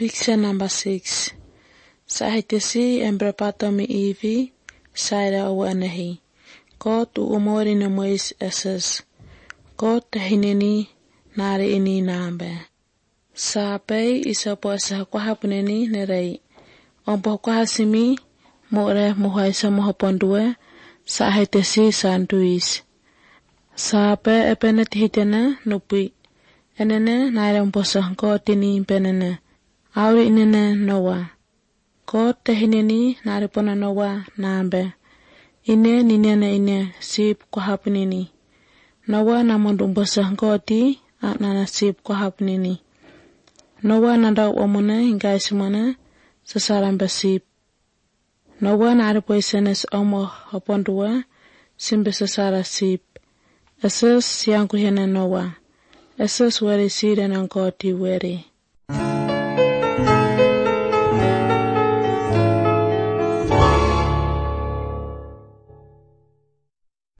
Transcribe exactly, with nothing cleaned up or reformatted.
Picture number six. Sahitesi embrapatomi ivi saira awanahi. Kot u umori na mois esas. Kot tahineni nari ini nambe. Sapai isapo asa kwa hapuneni nerai. Ompo kwa hasimi more muhaisa mohapondue sahitesi santuis. Sapai epenet hitena nupi. Enene nari omposa kotini penene. Auri inene Noah. Ko tehineni naripona Noah nambe. Ine ninene ine sip kwa hapnini. Noah namondumbosa koti aknana sip kwa hapnini. Noah nandau omone ingaisimone sasarambe sip. Noah naripoisenes omo hapondua simbe sasara sip. Eses yang kuhena Noah. Eses weri sire nang koti weri.